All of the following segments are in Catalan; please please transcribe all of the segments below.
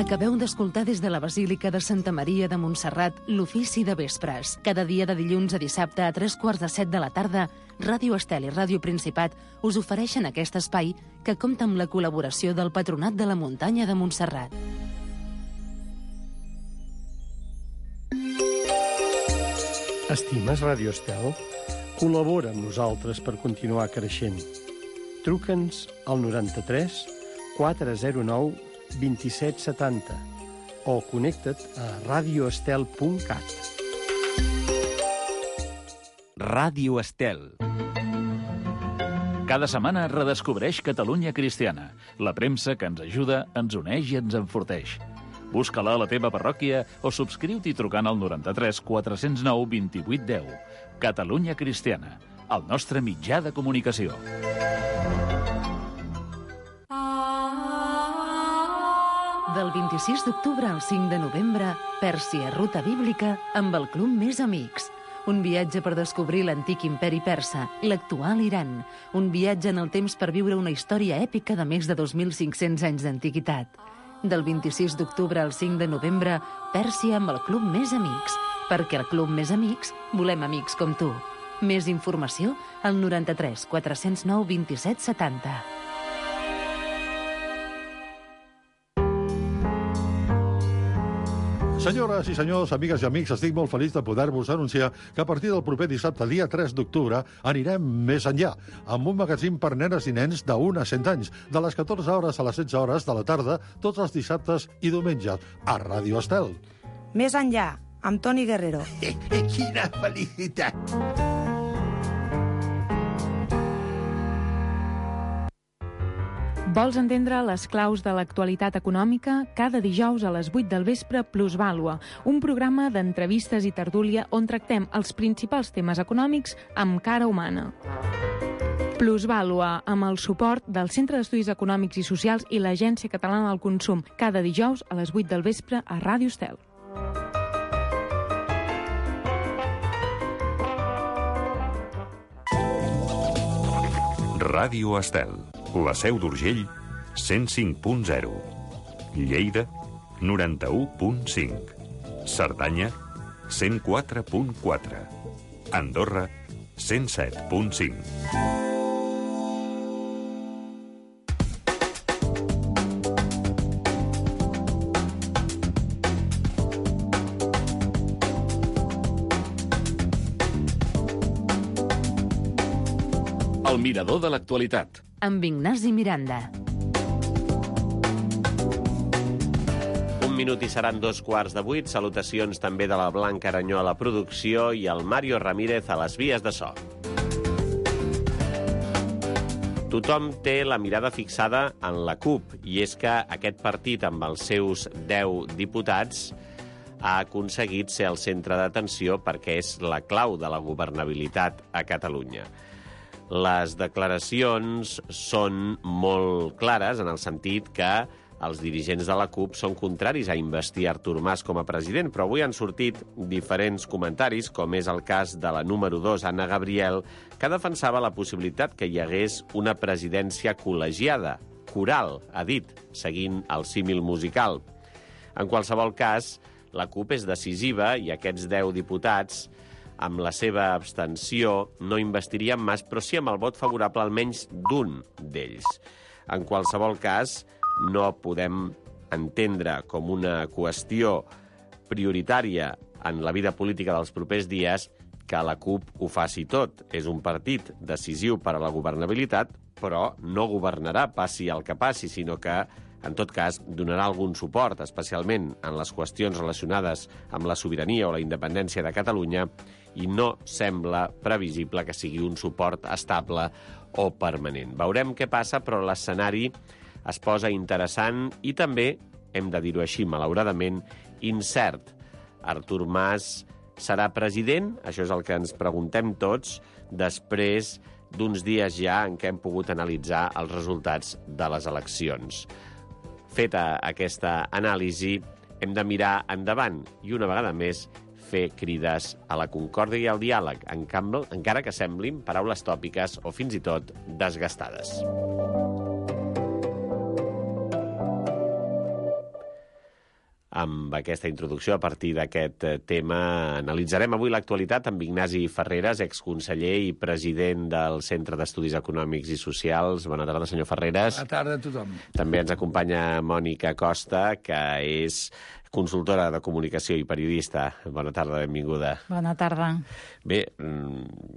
Acabeu d'escoltar des de la Basílica de Santa Maria de Montserrat l'Ofici de Vespres. Cada dia de dilluns a dissabte a 3:45 de la tarda, Ràdio Estel i Ràdio Principat us ofereixen aquest espai que compta amb la col·laboració del Patronat de la Muntanya de Montserrat. Estimes Ràdio Estel? Col·labora amb nosaltres per continuar creixent. Truca'ns al 93 409 2770 o connecta't a radioestel.cat. Ràdio Estel. Cada setmana redescobreix Catalunya Cristiana, la premsa que ens ajuda, ens uneix i ens enforteix. Busca-la a la teva parròquia o subscriu-t'hi trucant al 93 409 2810. Catalunya Cristiana, el nostre mitjà de comunicació. Del 26 d'octubre al 5 de novembre, Pèrsia, ruta bíblica amb el Club Més Amics. Un viatge per descobrir l'antic imperi persa, l'actual Iran. Un viatge en el temps per viure una història èpica de més de 2.500 anys d'antiguitat. Del 26 d'octubre al 5 de novembre, Pèrsia amb el Club Més Amics. Perquè al Club Més Amics volem amics com tu. Més informació al 93 409 2770. Senyores i senyors, amigues i amics, estic molt feliç de poder-vos anunciar que a partir del proper dissabte, dia 3 d'octubre, anirem més enllà, amb un magazín per nenes i nens de 1 a 100 anys, de les 14 hores a les 16 hores de la tarda, tots els dissabtes i diumenges, a Ràdio Estel. Més enllà, amb Toni Guerrero. Quina felicitat! Vols entendre les claus de l'actualitat econòmica? Cada dijous a les 8 del vespre, Plusvàlua, un programa d'entrevistes i tertúlia on tractem els principals temes econòmics amb cara humana. Plusvàlua, amb el suport del Centre d'Estudis Econòmics i Socials i l'Agència Catalana del Consum, cada dijous a les 8 del vespre a Ràdio Estel. Ràdio Estel. La Seu d'Urgell, 105.0. Lleida, 91.5. Cerdanya, 104.4. Andorra, 107.5. El mirador de l'actualitat. Amb Ignasi Miranda. Un minut i seran 2:15. Salutacions també de la Blanca Aranyó a la producció i el Mario Ramírez a les vies de so. Tothom té la mirada fixada en la CUP, i és que aquest partit, amb els seus 10 diputats, ha aconseguit ser el centre d'atenció perquè és la clau de la governabilitat a Catalunya. Les declaracions són molt clares en el sentit que els dirigents de la CUP són contraris a investir Artur Mas com a president, però avui han sortit diferents comentaris, com és el cas de la número 2, Anna Gabriel, que defensava la possibilitat que hi hagués una presidència col·legiada, coral, ha dit, seguint el símil musical. En qualsevol cas, la CUP és decisiva i aquests 10 diputats, amb la seva abstenció, no investirien Mas, però sí amb el vot favorable almenys d'un d'ells. En qualsevol cas, no podem entendre com una qüestió prioritària en la vida política dels propers dies que la CUP ho faci tot. És un partit decisiu per a la governabilitat, però no governarà, passi el que passi, sinó que, en tot cas, donarà algun suport, especialment en les qüestions relacionades amb la sobirania o la independència de Catalunya, i no sembla previsible que sigui un suport estable o permanent. Veurem què passa, però l'escenari es posa interessant i també, hem de dir-ho així, malauradament, incert. Artur Mas serà president? Això és el que ens preguntem tots després d'uns dies ja en què hem pogut analitzar els resultats de les eleccions. Feta aquesta anàlisi, hem de mirar endavant i, una vegada més, fer crides a la concòrdia i al diàleg, encara que semblin paraules tòpiques o fins i tot desgastades. amb aquesta introducció. A partir d'aquest tema analitzarem avui l'actualitat amb Ignasi Ferreres, exconseller i president del Centre d'Estudis Econòmics i Socials. Bona tarda, senyor Ferreres. Bona tarda a tothom. També ens acompanya Mònica Costa, que és consultora de comunicació i periodista. Bona tarda, benvinguda. Bona tarda. Bé,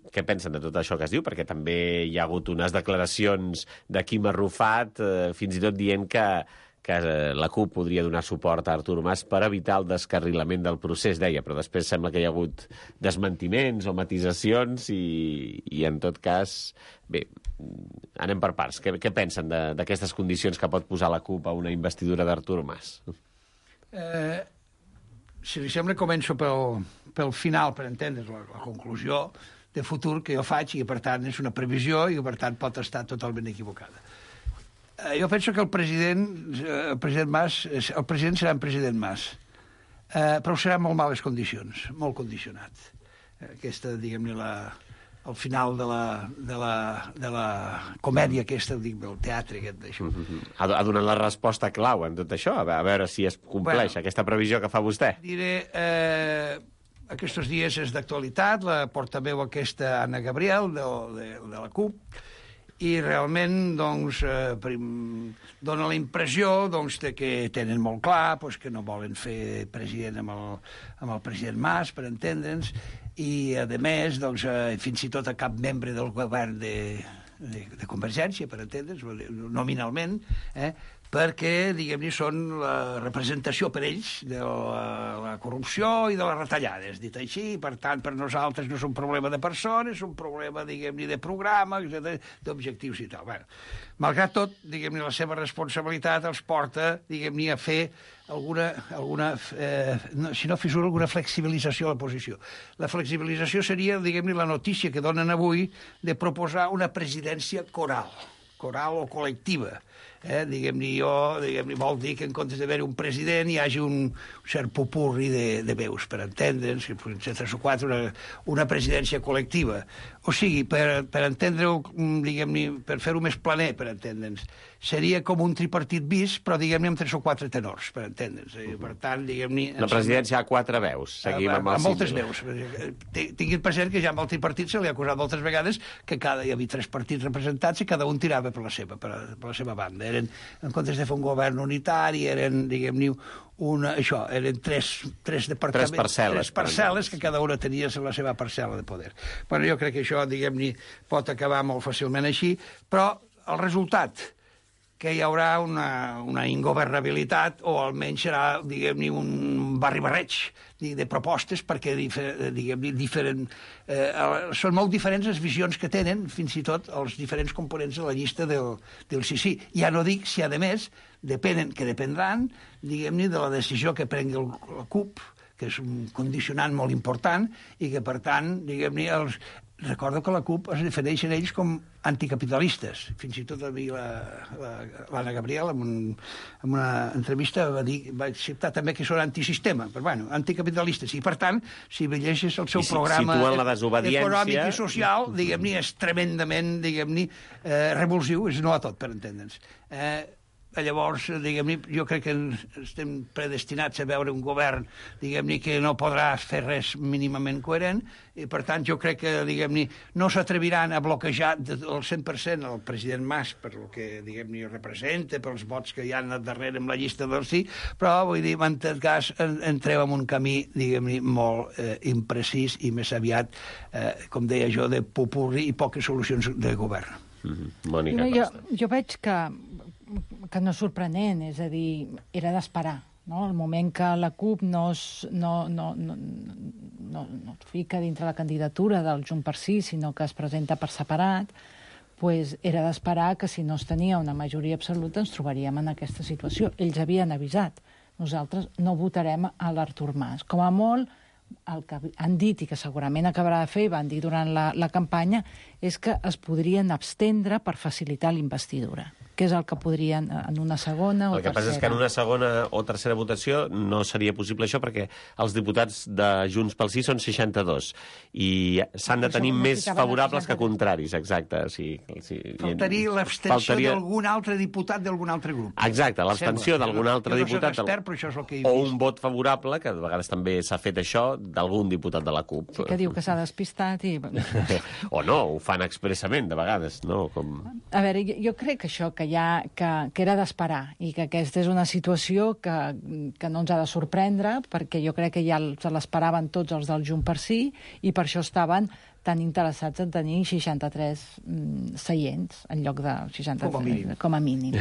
què pensen de tot això que es diu? Perquè també hi ha hagut unes declaracions de Quim Arrufat, fins i tot dient que la CUP podria donar suport a Artur Mas per evitar el descarrilament del procés, deia, però després sembla que hi ha hagut desmentiments o matisacions i en tot cas, bé, anem per parts. Què pensen d'aquestes condicions que pot posar la CUP a una investidura d'Artur Mas? Si li sembla, començo pel final, per entendre's, la conclusió de futur que jo faig i que, per tant, és una previsió i que, per tant, pot estar totalment equivocada. Jo penso que el president serà en president Mas, però serà en molt males condicions, molt condicionat. Aquesta, diguem-ne, al final de la comèdia aquesta, del teatre aquest d'això. Ha donat la resposta clau en tot això, a veure si es compleix aquesta previsió que fa vostè. Diré, aquests dies és d'actualitat, la portaveu aquesta Anna Gabriel, de la CUP, i realment doncs, dona la impressió doncs, que tenen molt clar que no volen fer president amb el president Mas, per entendre'ns, i a més, doncs, fins i tot a cap membre del govern de Convergència, per entendre'ns, nominalment, perquè, diguem-ne, són la representació per ells de la corrupció i de les retallades, dit així. Per tant, per nosaltres no és un problema de persones, és un problema, diguem-ne, de programa, d'objectius i tal. Bé, malgrat tot, diguem-ne, la seva responsabilitat els porta, diguem-ne, a fer si no fissura, alguna flexibilització a la posició. La flexibilització seria, diguem-ne, la notícia que donen avui de proposar una presidència coral o col·lectiva. Diguem-ne, vol dir que en comptes d'haver un president hi hagi un cert popurri de veus, per entendre'ns, entre 3 o 4, una presidència col·lectiva. O sigui, per entendre-ho, diguem-ne, per fer-ho més planer, per entendre'ns, seria com un tripartit bis, però, diguem-ne, amb 3 o 4 tenors, per entendre'ns. Per tant, diguem-ne... La presidència ha 4 veus, seguim amb el moltes veus. Tinguin present que ja amb el tripartit se li ha acusat moltes vegades que hi havia 3 partits representats i cada un tirava per la seva banda. En comptes de fer un govern unitari, eren, diguem-ne, eren tres departaments, tres parcel·les que cada una tenia la seva parcel·la de poder. Bueno, jo crec que això, diguem-ne, pot acabar molt fàcilment així, però el resultat, que hi haurà una ingovernabilitat, o almenys serà, diguem-ne, un barri-barreig de propostes, perquè, diguem-ne, són molt diferents les visions que tenen, fins i tot els diferents components de la llista del sí. Ja no dic si, a més, dependran, diguem-ne, de la decisió que prengui la CUP, que és un condicionant molt important, i que, per tant, diguem-ne, recordo que la CUP es defineixen ells com anticapitalistes. Fins i tot a mi l'Anna Gabriel, en una entrevista, va acceptar també que són antisistema, però bueno, anticapitalistes. I per tant, si llegeixes el seu programa econòmic i social, diguem-ne, és tremendament, diguem-ne, revulsiu, és no a tot, per entendre'ns. Llavors, diguem-ne, jo crec que estem predestinats a veure un govern, diguem-ne, que no podrà fer res mínimament coherent, i per tant jo crec que, diguem-ne, no s'atreviran a bloquejar el 100% el president Mas per el que, diguem-ne, representa, pels vots que hi ha darrere amb la llista del sí, però, vull dir, en tot cas, entreu en un camí, diguem-ne, molt imprecís i més aviat, com deia jo, de popurri i poques solucions de govern. Mònica Costa. Jo veig que no és sorprenent, és a dir, era d'esperar, no? El moment que la CUP no fica dintre la candidatura del Junts per Sí, sinó que es presenta per separat, pues era d'esperar que si no es tenia una majoria absoluta ens trobaríem en aquesta situació. Ells havien avisat, nosaltres no votarem a l'Artur Mas. Com a molt, el que han dit i que segurament acabarà de fer, i van dir durant la campanya, és que es podrien abstendre per facilitar l'investidura. que és el que podrien en una segona o tercera. El que passa és que en una segona o tercera votació no seria possible això perquè els diputats de Junts pel Sí són 62 i s'han de tenir més favorables que contraris, exacte. Faltaria l'abstenció d'algun altre diputat d'algun altre grup. Exacte, l'abstenció d'algun altre diputat o un vot favorable, que de vegades també s'ha fet això, d'algun diputat de la CUP. Sí, que diu que s'ha despistat i... O no, ho fan expressament de vegades, no? A veure, jo crec que això que era d'esperar i que aquesta és una situació que no ens ha de sorprendre, perquè jo crec que ja se l'esperaven tots els del Junts per Sí i per això estaven tan interessats en tenir 63 seients en lloc de 63, com a mínim.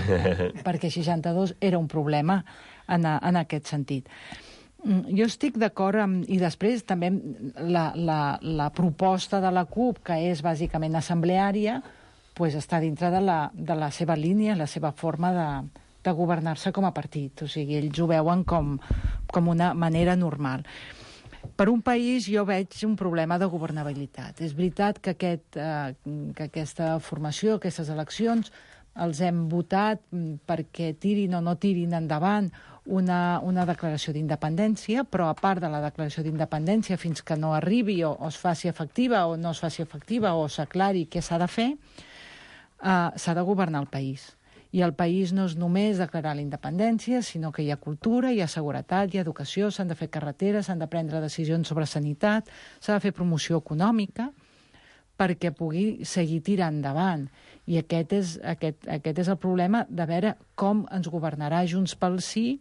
Perquè 62 era un problema en aquest sentit. Jo estic d'acord i després també la proposta de la CUP, que és bàsicament assembleària, pues està dintre de la seva línia, la seva forma de governar-se com a partit. O sigui, ells ho veuen com una manera normal. Per un país jo veig un problema de governabilitat. És veritat que aquesta formació, aquestes eleccions, els hem votat perquè tirin o no tirin endavant una declaració d'independència, però a part de la declaració d'independència, fins que no arribi o es faci efectiva o no es faci efectiva o s'aclari què s'ha de fer, s'ha de governar el país. I el país no és només declarar la independència, sinó que hi ha cultura, hi ha seguretat, hi ha educació, s'han de fer carreteres, s'han de prendre decisions sobre sanitat, s'ha de fer promoció econòmica perquè pugui seguir tirant endavant. I aquest és el problema de veure com ens governarà Junts pel Sí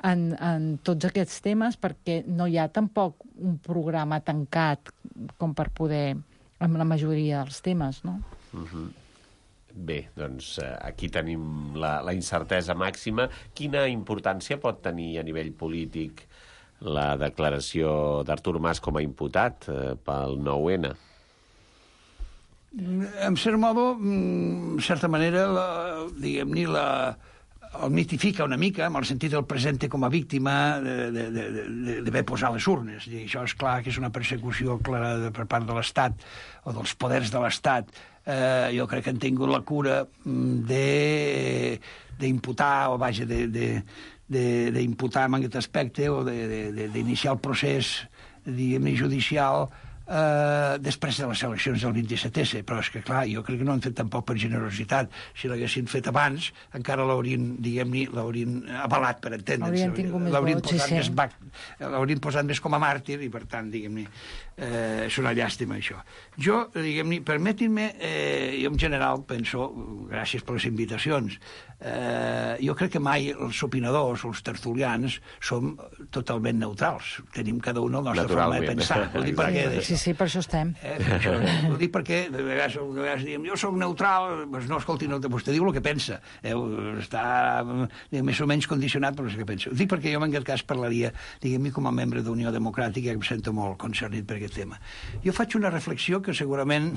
en tots aquests temes, perquè no hi ha tampoc un programa tancat com per poder, amb la majoria dels temes, no? Bé, doncs aquí tenim la incertesa màxima. Quina importància pot tenir a nivell polític la declaració d'Artur Mas com a imputat pel 9-N? En cert modo, en certa manera, diguem-ne, el mitifica una mica, en el sentit el presenta com a víctima d'haver posat les urnes. I això és clar que és una persecució clara per part de l'Estat o dels poders de l'Estat. Jo crec que han tingut la cura d'imputar, o vaja, d'imputar en aquest aspecte o d'iniciar el procés, diguem-ne, judicial després de les eleccions del 27S, però és que clar, jo crec que no han fet tampoc per generositat. Si l'haguessin fet abans, encara l'haurien, diguem-ne, avalat, per entendre'ns. Haurien tingut més vots, sí. L'haurien posat més com a màrtir i, per tant, diguem-ne, és una llàstima, això. Jo, diguem-ne, permetin-me, jo en general penso, gràcies per les invitacions, jo crec que mai els opinadors o els tertulians som totalment neutrals. Tenim cada un la nostra forma de pensar. Sí, per això estem. Ho dic perquè de vegades diem, jo soc neutral, doncs no, escolti, vostè diu el que pensa. Està més o menys condicionat per el que pensa. Ho dic perquè jo en aquest cas parlaria, diguem-ne, com a membre d'Unió Democràtica, que em sento molt concernit per aquest tema. Jo faig una reflexió que segurament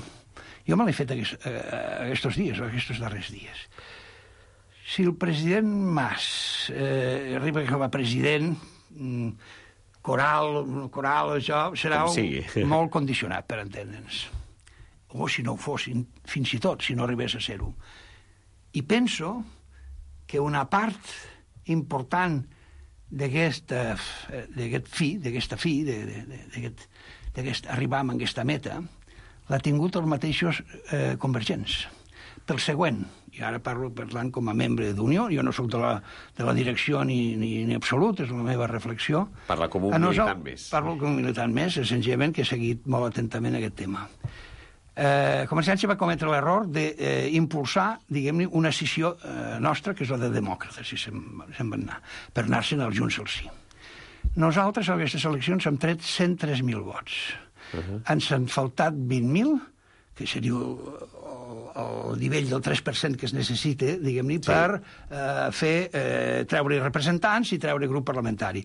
jo me l'he fet aquests dies, o aquests darrers dies. Si el president Mas arriba com a president, coral, això serà molt condicionat, per entendre'ns. O si no ho fossin, fins i tot, si no arribés a ser-ho. I penso que una part important d'aquesta fi, d'aquest arribar a aquesta meta, l'ha tingut els mateixos convergents. Pel següent, i ara parlant com a membre d'Unió, jo no soc de la direcció ni absolut, és la meva reflexió. Parla com un militant més. Parlo com un militant més, senzillament que he seguit molt atentament aquest tema. Convergència va cometre l'error d'impulsar, diguem-ne, una escissió nostra, que és la de demòcrates, si se'n van anar, per anar-se'n als Junts al Sí. Nosaltres, a aquestes eleccions, hem tret 103.000 vots. Ens han faltat 20.000, que seria el nivell del 3% que es necessita, diguem-ne, per treure representants i treure grup parlamentari.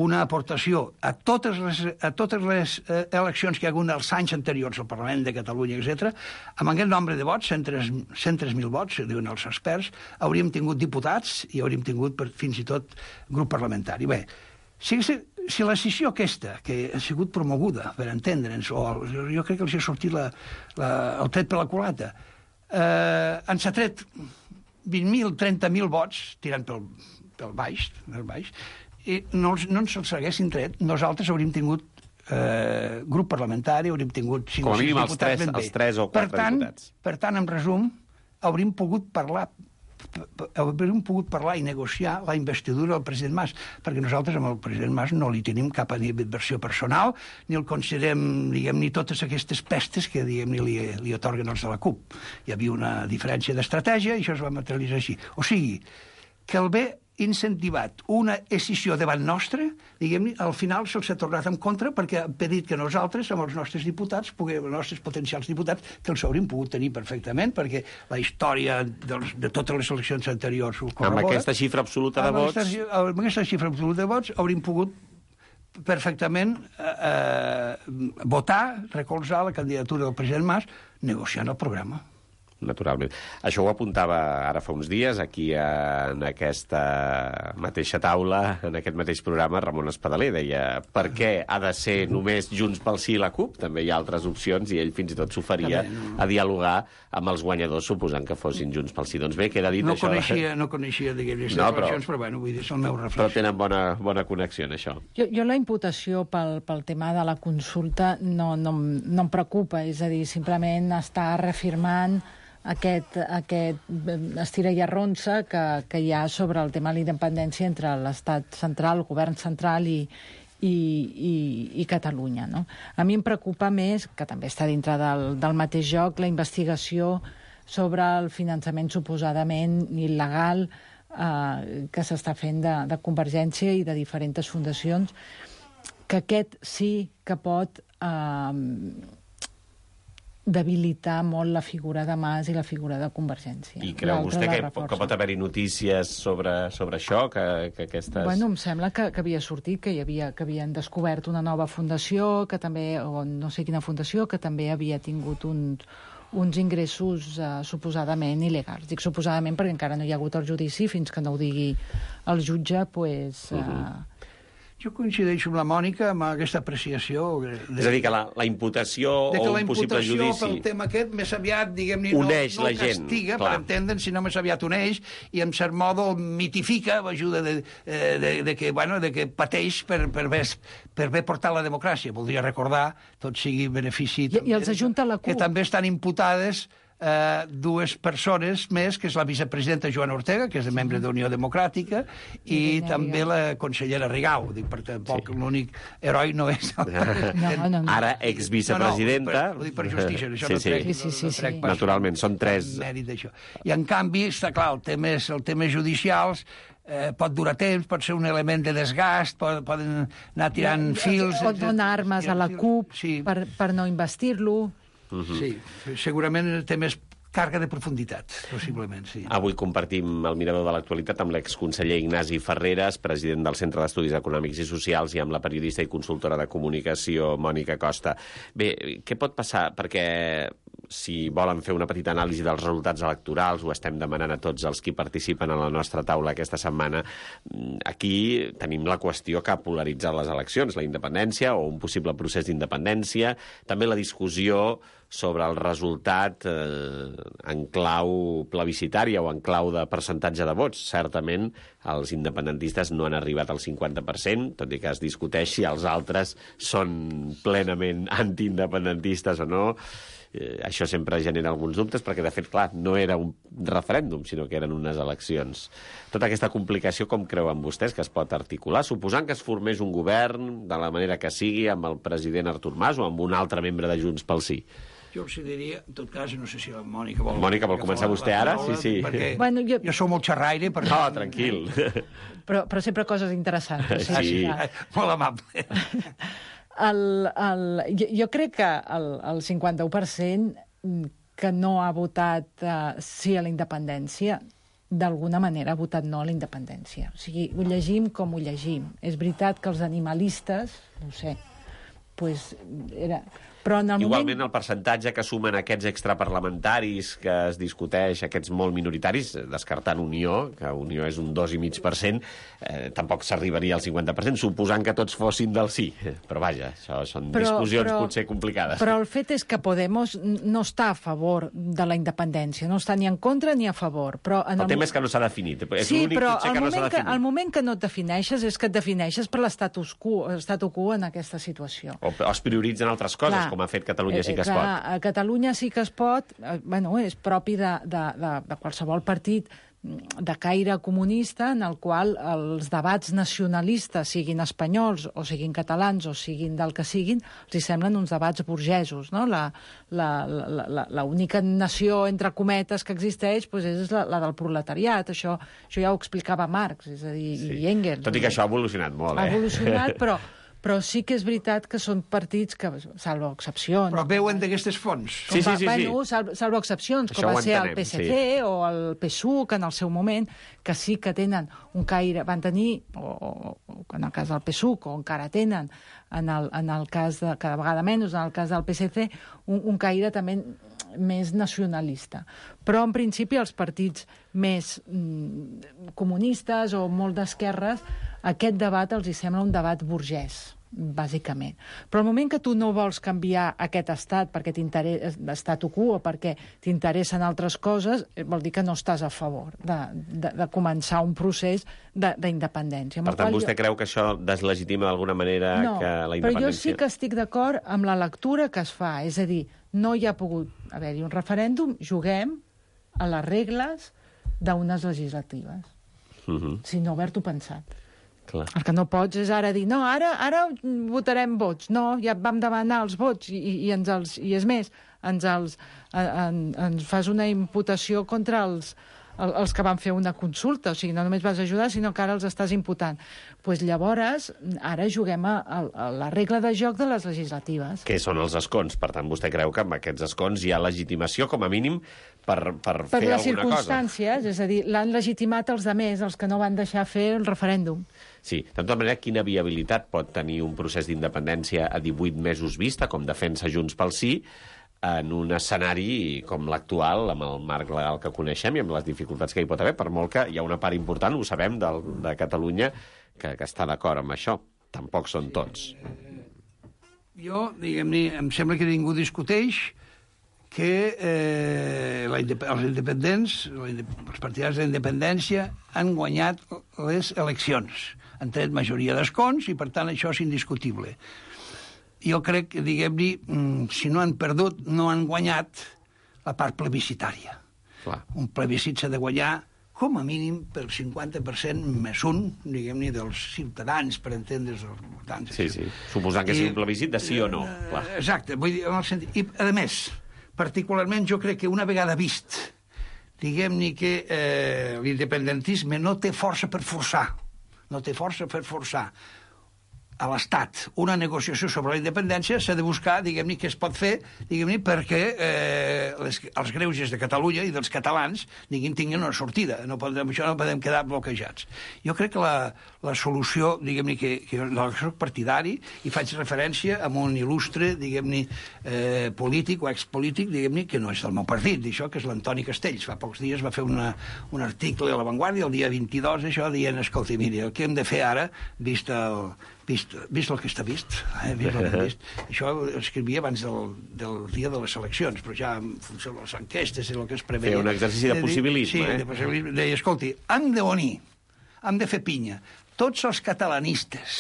Una aportació a totes les eleccions que hi ha hagut els anys anteriors al Parlament de Catalunya, etc., amb aquest nombre de vots, 103.000 vots, diuen els experts, hauríem tingut diputats i hauríem tingut fins i tot grup parlamentari. Bé, si la sessió aquesta, que ha sigut promoguda, per entendre'ns, o jo crec que els ha sortit el tret per la culata, ens ha tret 20.000, 30.000 vots, tirant pel baix, i no ens els haguessin tret, nosaltres hauríem tingut grup parlamentari, hauríem tingut 5 o 6 diputats ben bé. Els 3 o 4 diputats. Per tant, en resum, hauríem pogut parlar i negociar la investidura del president Mas, perquè nosaltres amb el president Mas no li tenim cap animadversió personal, ni el considerem, ni totes aquestes pestes que, li otorguen els de la CUP. Hi havia una diferència d'estratègia i això es va materialitzar així. O sigui, que el bé incentivat una escissió davant nostra, al final se'ls ha tornat en contra perquè ha impedit que nosaltres, amb els nostres diputats, els nostres potencials diputats, que els hauríem pogut tenir perfectament, perquè la història de totes les eleccions anteriors ho corrobora. Amb aquesta xifra absoluta de vots... Amb aquesta xifra absoluta de vots hauríem pogut perfectament votar, recolzar la candidatura del president Mas, negociant el programa. Naturalment. Això ho apuntava ara fa uns dies, aquí en aquesta mateixa taula, en aquest mateix programa, Ramon Espadaler deia per què ha de ser només Junts pel Sí i la CUP? També hi ha altres opcions i ell fins i tot s'oferia a dialogar amb els guanyadors, suposant que fossin Junts pel Sí. Doncs bé, queda dit això. No coneixia aquestes relacions, però bueno, vull dir, és el meu reflex. Però tenen bona connexió en això. Jo la imputació pel tema de la consulta no em preocupa, és a dir, simplement està reafirmant aquest estira i arronsa que hi ha sobre el tema de la independència entre l'estat central, el govern central i Catalunya. No? A mi em preocupa més, que també està dintre del mateix joc, la investigació sobre el finançament suposadament il·legal que s'està fent de Convergència i de diferents fundacions, que aquest sí que pot debilitar molt la figura de Mas i la figura de Convergència. I creu vostè que pot haver-hi notícies sobre això? Que aquestes... Bueno, em sembla que havia sortit, que havien descobert una nova fundació, que també, o no sé quina fundació, que també havia tingut uns ingressos suposadament il·legals. Dic suposadament perquè encara no hi ha hagut el judici, fins que no ho digui el jutge, doncs... Jo coincideixo amb la Mònica amb aquesta apreciació. És a dir, que la imputació o un possible judici... Que la imputació pel tema aquest més aviat, diguem-ne, no castiga, per entendre'n, sinó més aviat uneix, i en cert modo mitifica l'ajuda de que pateix per bé portar la democràcia. Voldria recordar, tot sigui benefici... I els ajunta la CUP. Que també estan imputades dues persones més, que és la vicepresidenta Joana Ortega, que és membre d'Unió Democràtica, i també la consellera Rigau. Dic, per tampoc l'únic heroi no és... No. Ara exvicepresidenta... Ho dic per justícia, això no trec. Sí. Naturalment, són 3... I en canvi, està clar, el tema judicials pot durar temps, pot ser un element de desgast, poden anar tirant fils... Pot donar armes a la CUP per no investir-lo... Sí, segurament té més càrrega de profunditat, possiblement, sí. Avui compartim el mirador de l'actualitat amb l'exconseller Ignasi Ferreras, president del Centre d'Estudis Econòmics i Socials, i amb la periodista i consultora de comunicació Mònica Costa. Bé, què pot passar? Perquè si volen fer una petita anàlisi dels resultats electorals, ho estem demanant a tots els que participen a la nostra taula aquesta setmana, aquí tenim la qüestió que ha polaritzat les eleccions, la independència o un possible procés d'independència, també la discussió sobre el resultat en clau plebiscitària o en clau de percentatge de vots. Certament, els independentistes no han arribat al 50%, tot i que es discuteix si els altres són plenament antiindependentistes o no. Això sempre genera alguns dubtes, perquè, de fet, clar, no era un referèndum, sinó que eren unes eleccions. Tota aquesta complicació, com creuen vostès que es pot articular? Suposant que es formés un govern de la manera que sigui, amb el president Artur Mas o amb un altre membre de Junts pel Sí. Jo els diria, en tot cas, no sé si la Mònica vol... Mònica, vol començar vostè ara? Sí. Perquè jo sóc molt xerraire. No, tranquil. Però sempre coses interessants. Sí. Molt amable. Jo crec que el 51% que no ha votat sí a la independència, d'alguna manera ha votat no a la independència. O sigui, ho llegim com ho llegim. És veritat que els animalistes, no ho sé, pues era Però en el igualment el percentatge que sumen aquests extraparlamentaris que es discuteix, aquests molt minoritaris, descartant Unió, que Unió és un 2,5%, tampoc s'arribaria al 50%, suposant que tots fossin del sí. Però vaja, això són discussions potser complicades. Però el fet és que Podemos no està a favor de la independència, no està ni en contra ni a favor. Però el tema és que no s'ha definit. Sí, però el moment que no et defineixes és que et defineixes per l'estatu quo en aquesta situació. O es prioritzen altres coses, com ha fet Catalunya Sí que es pot. A Catalunya Sí que es pot, és propi de qualsevol partit de caire comunista en el qual els debats nacionalistes, siguin espanyols o siguin catalans o siguin del que siguin, els semblen uns debats burgesos, no? La única nació, entre cometes, que existeix és la del proletariat. Això ja ho explicava Marx, és a dir, i Engels. Tot i que això ha evolucionat molt, Ha evolucionat, però sí que és veritat que són partits que, salvo excepcions... Però veuen d'aquestes fonts. Sí. Salvo excepcions, com va ser el PSC o el PSUC en el seu moment, que sí que tenen un caire... Van tenir, o en el cas del PSUC, o encara tenen, en el cas de... cada vegada menys, en el cas del PSC, un caire també més nacionalista. Però, en principi, els partits més comunistes o molt d'esquerres, aquest debat els sembla un debat burgès, bàsicament. Però al moment que tu no vols canviar aquest estat perquè t'interessa l'estatu quo o perquè t'interessen altres coses, vol dir que no estàs a favor de començar un procés d'independència. Per tant, vostè creu que això deslegitima d'alguna manera que la independència... Però jo sí que estic d'acord amb la lectura que es fa. És a dir, no hi ha pogut haver-hi un referèndum, juguem a les regles d'unes legislatives. Si no, haver-t'ho pensat. Clar. El que no pots és ara dir, no, ara votarem vots. No, ja vam demanar els vots i és més, ens fas una imputació contra els que van fer una consulta. O sigui, no només vas ajudar, sinó que ara els estàs imputant. Doncs llavors, ara juguem a la regla de joc de les legislatives. Que són els escons. Per tant, vostè creu que amb aquests escons hi ha legitimació, com a mínim, per fer alguna cosa. Per les circumstàncies, és a dir, l'han legitimat els altres, els que no van deixar fer el referèndum. Sí, de tota manera, quina viabilitat pot tenir un procés d'independència a 18 mesos vista, com defensa Junts pel Sí, en un escenari com l'actual, amb el marc legal que coneixem i amb les dificultats que hi pot haver, per molt que hi ha una part important, ho sabem, de Catalunya, que està d'acord amb això. Tampoc són tots. Jo, diguem-ne, em sembla que ningú discuteix que els independents, els partidaris de la independència, han guanyat les eleccions. Han tret majoria d'escons i, per tant, això és indiscutible. Jo crec que, diguem-ne, si no han perdut, no han guanyat la part plebiscitària. Clar. Un plebiscit s'ha de guanyar, com a mínim, pel 50% més un, diguem-ne, dels ciutadans, per entendre's els votants. Sí. Suposant que sigui un plebiscit de sí o no. Clar. Exacte. Vull dir, en el sentit... I, a més, particularment, jo crec que una vegada vist, diguem-ne que l'independentisme no té força per forçar. No té força per forçar a l'Estat una negociació sobre la independència, s'ha de buscar, diguem-ne, què es pot fer, diguem-ne, perquè els greuges de Catalunya i dels catalans, diguem, tinguin una sortida. Això no podem quedar bloquejats. Jo crec que la solució, diguem-ne, que jo soc partidari i faig referència a un il·lustre, diguem-ne, polític o expolític, diguem-ne, que no és del meu partit, d'això, que és l'Antoni Castells. Fa pocs dies va fer un article a La Vanguardia, el dia 22, això, dient, escolta, mira, el que hem de fer ara, vist el que està vist, Això ho escrivia abans del dia de les eleccions, però ja en funció de les enquestes i el que es preveia. Fer un exercici de possibilisme, Sí, de possibilisme. Deia, escolti, hem d'unir, hem de fer pinya. Tots els catalanistes,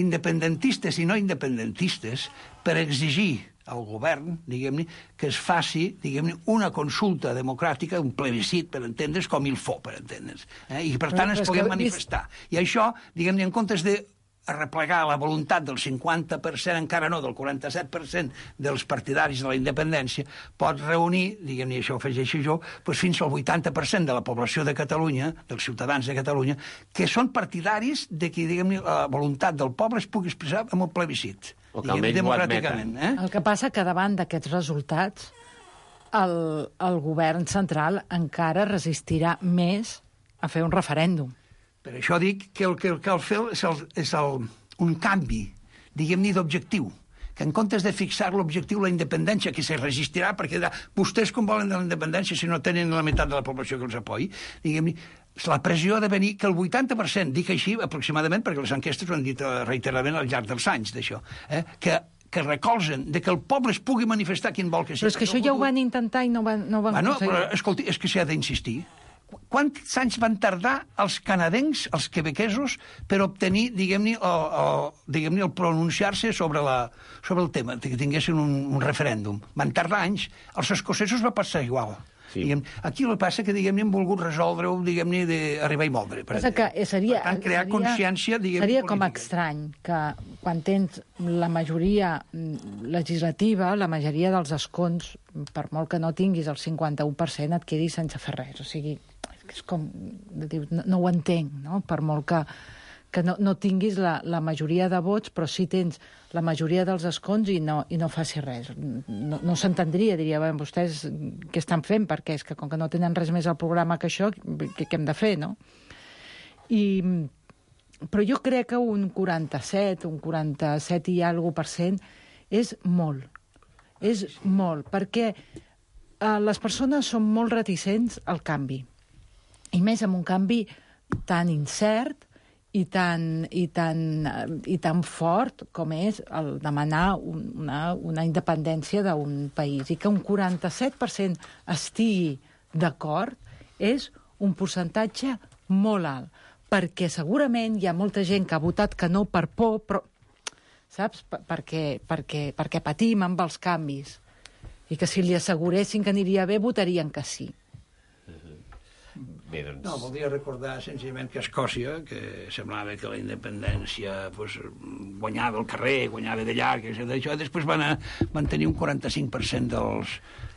independentistes i no independentistes, per exigir al govern, diguem-ne, que es faci, diguem-ne, una consulta democràtica, un plebiscit, per entendre's, com il faut, per entendre's. I, per tant, ens puguem manifestar. I això, diguem-ne, en comptes de replegar la voluntat del 50%, encara no, del 47% dels partidaris de la independència, pot reunir, diguem-ne, això ho afegeixo jo, doncs fins al 80% de la població de Catalunya, dels ciutadans de Catalunya, que són partidaris de que, diguem-ne, la voluntat del poble es pugui expressar en un plebiscit. O que almenys ho admeten. El que passa que davant d'aquests resultats el govern central encara resistirà més a fer un referèndum. Per això dic que el que cal fer és un canvi, diguem-ne, d'objectiu, que en comptes de fixar l'objectiu la independència, que se resistirà, perquè vostès com volen de la independència si no tenen la meitat de la població que els apoyi, diguem-ne, la pressió ha de venir que el 80%, dic així aproximadament, perquè les enquestes ho han dit reiteradament al llarg dels anys d'això, que recolzen de que el poble es pugui manifestar quin vol que sigui. Però és que això ja ho van intentar i no van aconseguir. Però, escolti, és que s'hi ha d'insistir. Quants anys van tardar els canadencs, els quebequesos, per obtenir, diguem-ne, el pronunciar-se sobre el tema, que tinguessin un referèndum? Van tardar anys. Els escocesos va passar igual. Sí. Aquí el que passa que, diguem-ne, hem volgut resoldre-ho, diguem-ne, d'arribar i moldre. Per tant, crear consciència, diguem-ne, seria com estrany que quan tens la majoria legislativa, la majoria dels escons, per molt que no tinguis el 51%, et quedis sense fer res. O sigui, és com, no ho entenc, no? Per molt que no tinguis la majoria de vots, però sí tens la majoria dels escons i no facis res. No s'entendria, diria, vostès què estan fent? Perquè és que com que no tenen res més al programa que això, què hem de fer, no? Però jo crec que un 47 i alguna % és molt. És molt, perquè les persones són molt reticents al canvi. I més amb un canvi tan incert i tan fort com és el demanar una independència d'un país. I que un 47% estigui d'acord és un percentatge molt alt, perquè segurament hi ha molta gent que ha votat que no per por, però, saps? Perquè patim amb els canvis. I que si li asseguressin que aniria bé, votarien que sí. Bé, doncs... No, voldria recordar senzillament que a Escòcia, que semblava que la independència guanyava al carrer, guanyava d'allà, després van tenir un 45%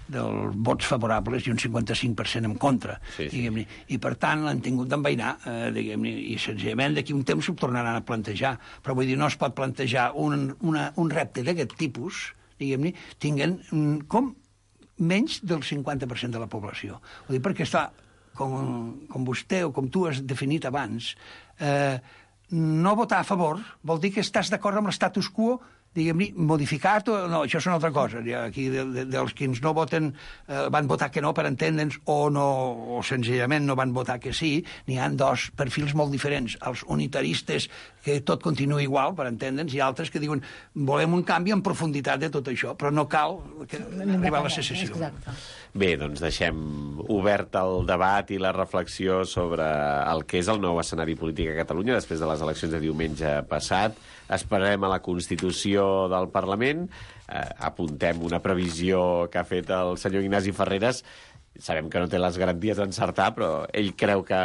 dels vots favorables i un 55% en contra, diguem-ne. I per tant l'han tingut d'envainar, diguem-ne, i senzillament d'aquí un temps s'ho tornaran a plantejar. Però vull dir, no es pot plantejar un repte d'aquest tipus, diguem-ne, tinguent com menys del 50% de la població. Vull dir, perquè està... com vostè o com tu has definit abans, no votar a favor vol dir que estàs d'acord amb l'estatus quo, diguem-ne, modificat o no, això és una altra cosa. Aquí dels que no voten van votar que no, per entendre'ns, o senzillament no van votar que sí, n'hi ha dos perfils molt diferents. Els unitaristes, que tot continua igual, per entendre'ns, i altres que diuen volem un canvi en profunditat de tot això, però no cal arribar a la secessió. Exacte. Bé, doncs deixem obert el debat i la reflexió sobre el que és el nou escenari polític a Catalunya després de les eleccions de diumenge passat. Esperarem a la Constitució del Parlament. Apuntem una previsió que ha fet el senyor Ignasi Ferreres. Sabem que no té les garanties d'encertar, però ell creu que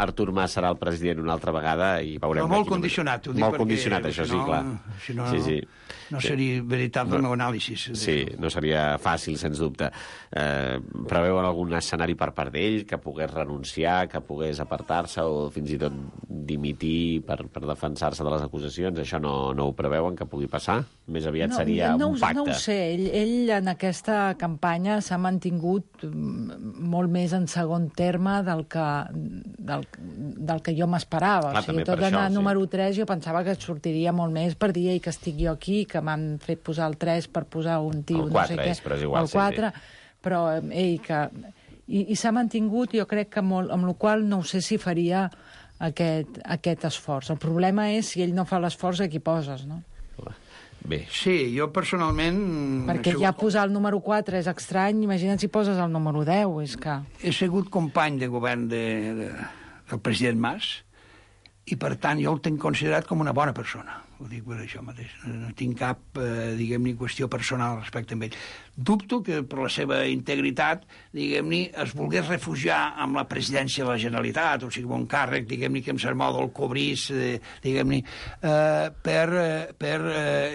Artur Mas serà el president una altra vegada i veurem... Però molt condicionat, ho dic, molt condicionat, això sí, clar. Si no, no seria veritable el meu anàlisi. Sí, no seria fàcil, sens dubte. Preveuen algun escenari per part d'ell, que pogués renunciar, que pogués apartar-se o fins i tot dimitir per defensar-se de les acusacions? Això no ho preveuen que pugui passar? Més aviat seria un pacte. No ho sé. Ell en aquesta campanya s'ha mantingut molt més en segon terme del que jo m'esperava. O sigui, tot anar número 3 jo pensava que sortiria molt més per dir que estic jo aquí, que m'han fet posar el 3 per posar un tio, no sé què. Però és igual, el 4, però ell que... I s'ha mantingut, jo crec que molt, amb la qual no sé si faria aquest esforç. El problema és si ell no fa l'esforç, a qui poses, no? Bé. Sí, jo personalment... Perquè ja posar el número 4 és estrany, imagina't si poses el número 10, és que... He sigut company de govern del president Mas i, per tant, jo el tenc considerat com una bona persona. Ho dic per això mateix. No tinc cap, diguem-ne, qüestió personal respecte a ell. Dubto que per la seva integritat, diguem-ne, es volgués refugiar amb la presidència de la Generalitat, o sigui, un càrrec, diguem-ne, que em sermó del cobrís, diguem-ne, per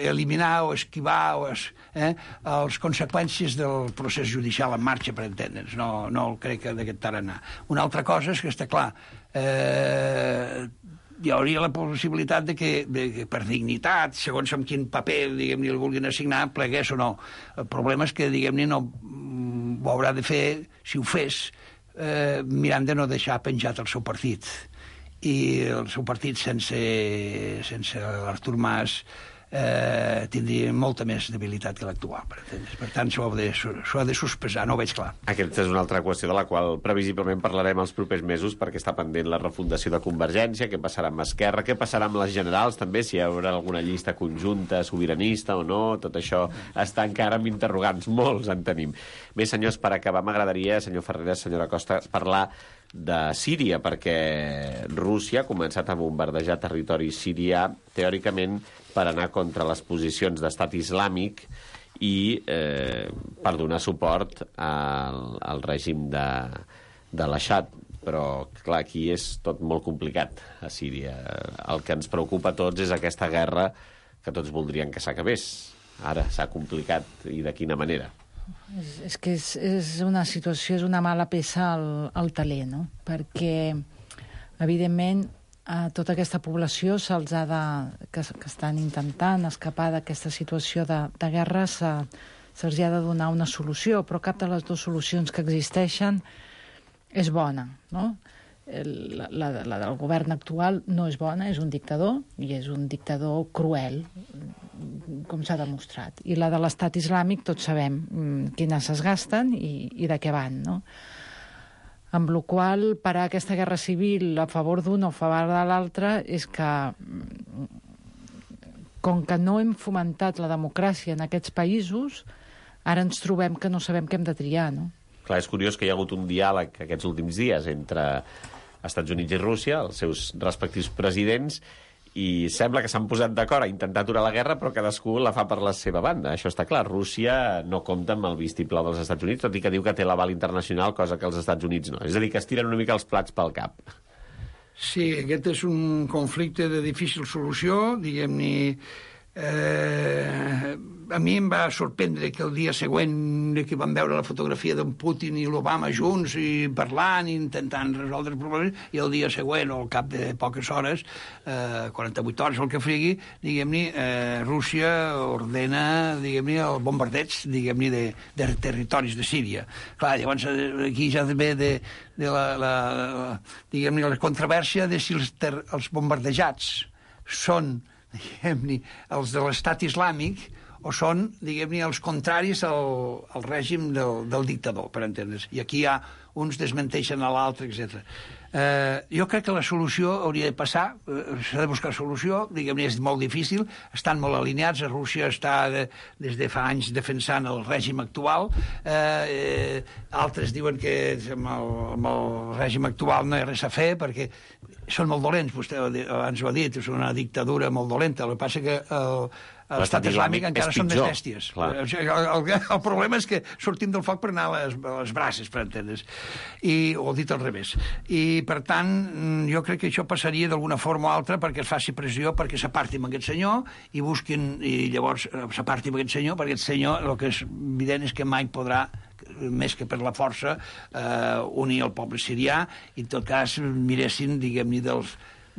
eliminar o esquivar les conseqüències del procés judicial en marxa, per entendre'ns. No el crec d'aquest tarannà. Una altra cosa és que està clar, hi hauria la possibilitat de que per dignitat, segons amb quin paper, diguem-ne, el vulguin assignar, plegués o no. El problema és que, diguem-ne, no ho haurà de fer, si ho fes, mirant de no deixar penjat el seu partit. I el seu partit, sense l'Artur Mas, tindria molta més debilitat que l'actual, per entendre's. Per tant, s'ho ha de sospesar, no ho veig clar. Aquesta és una altra qüestió de la qual previsiblement parlarem els propers mesos, perquè està pendent la refundació de Convergència, què passarà amb Esquerra, què passarà amb les generals, també, si hi haurà alguna llista conjunta, sobiranista o no, tot això està encara amb interrogants, molts en tenim. Bé, senyors, per acabar, m'agradaria, senyor Ferreras, senyora Costa, parlar de Síria, perquè Rússia ha començat a bombardejar territori sirià, teòricament, per anar contra les posicions d'estat islàmic i per donar suport al règim de l'Aixad. Però, clar, aquí és tot molt complicat, a Síria. El que ens preocupa a tots és aquesta guerra que tots voldrien que s'acabés. Ara s'ha complicat, i de quina manera? És que és una situació, és una mala peça al taler, no? Perquè, evidentment, a tota aquesta població que estan intentant escapar d'aquesta situació de guerra se'ls ha de donar una solució, però cap de les dues solucions que existeixen és bona, no? La del govern actual no és bona, és un dictador, i és un dictador cruel, com s'ha demostrat. I la de l'estat islàmic tots sabem quines es gasten i de què van, no? Amb la qual cosa, parar aquesta guerra civil a favor d'un o a favor de l'altre és que, com que no hem fomentat la democràcia en aquests països, ara ens trobem que no sabem què hem de triar, no? Clar, és curiós que hi ha hagut un diàleg aquests últims dies entre Estats Units i Rússia, els seus respectius presidents, i sembla que s'han posat d'acord a intentar aturar la guerra, però cadascú la fa per la seva banda. Això està clar. Rússia no compta amb el vistiplau dels Estats Units, tot i que diu que té l'aval internacional, cosa que els Estats Units no. És a dir, que es tiren una mica els plats pel cap. Sí, aquest és un conflicte de difícil solució, diguem-ne. A mi em va sorprendre que el dia següent que vam veure la fotografia d'en Putin i l'Obama junts i parlant i intentant resoldre els problemes, i el dia següent, o al cap de poques hores, 48 hores, el que frigui, diguem-ne, Rússia ordena, diguem-ne, el bombardeig, diguem-ne, de territoris de Síria. Clar, llavors aquí ja ve diguem-ne, la controvèrsia de si els bombardejats són, diguem-ne, els de l'estat islàmic o són, diguem-ne, els contraris al règim del dictador, per entendre's. I aquí uns desmenteixen a l'altre, etc. Jo crec que la solució hauria de passar, s'ha de buscar solució, diguem-ne, és molt difícil, estan molt alineats, Rússia està des de fa anys defensant el règim actual, altres diuen que amb el règim actual no hi ha res a fer, perquè són molt dolents, vostè abans ho ha dit, és una dictadura molt dolenta, el que passa que l'estat islàmic encara són més bèsties. El problema és que sortim del foc per anar a les braces, per entendre's, o dit al revés. I, per tant, jo crec que això passaria d'alguna forma o altra perquè es faci pressió, perquè s'aparti amb aquest senyor i busquin, i llavors s'aparti amb aquest senyor, perquè aquest senyor, el que és evident és que mai podrà, més que per la força, unir el poble sirià, i en tot cas miressin, diguem-ne,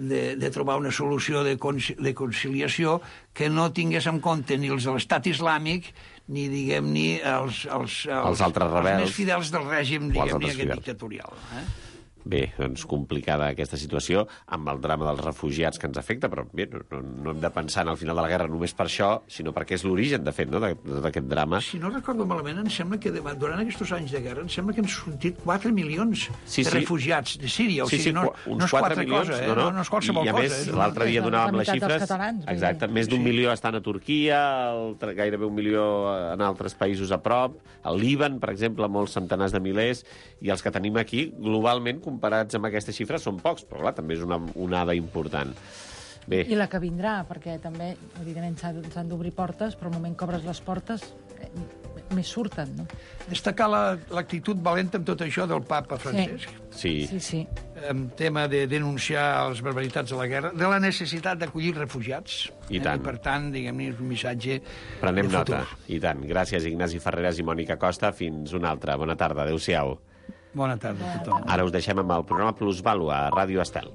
de trobar una solució de conciliació que no tingués en compte ni els de l'estat islàmic ni, diguem-ne, els altres rebels, els més fidels del règim, diguem-ne, aquest dictatorial. Bé, doncs complicada aquesta situació amb el drama dels refugiats que ens afecta, però bé, no hem de pensar en el final de la guerra només per això, sinó perquè és l'origen, de fet, no, d'aquest drama. Si no recordo malament, em sembla que durant aquests anys de guerra, em sembla que han sortit 4 milions de refugiats de Síria. O sigui, no és 4 milions, no és qualsevol cosa. I a més, l'altre dia donàvem les xifres. Exacte, més d'1 milió estan a Turquia, gairebé 1 milió en altres països a prop, al Líban, per exemple, molts centenars de milers, i els que tenim aquí, globalment, comparats amb aquestes xifres, són pocs, però clar, també és una onada important. Bé. I la que vindrà, perquè també, evidentment, s'han d'obrir portes, però al moment que obres les portes, més surten, no? Destacar l'actitud valenta amb tot això del papa Francesc. Sí. En tema de denunciar les barbaritats de la guerra, de la necessitat d'acollir refugiats. I tant. I, per tant, diguem-ne, és un missatge Prenem de futur. nota. I tant. Gràcies, Ignasi Ferreras i Mònica Costa. Fins una altra. Bona tarda. Adéu-siau. Bona tarda a tothom. Ara us deixem amb el programa Plusvàlua a Ràdio Estel.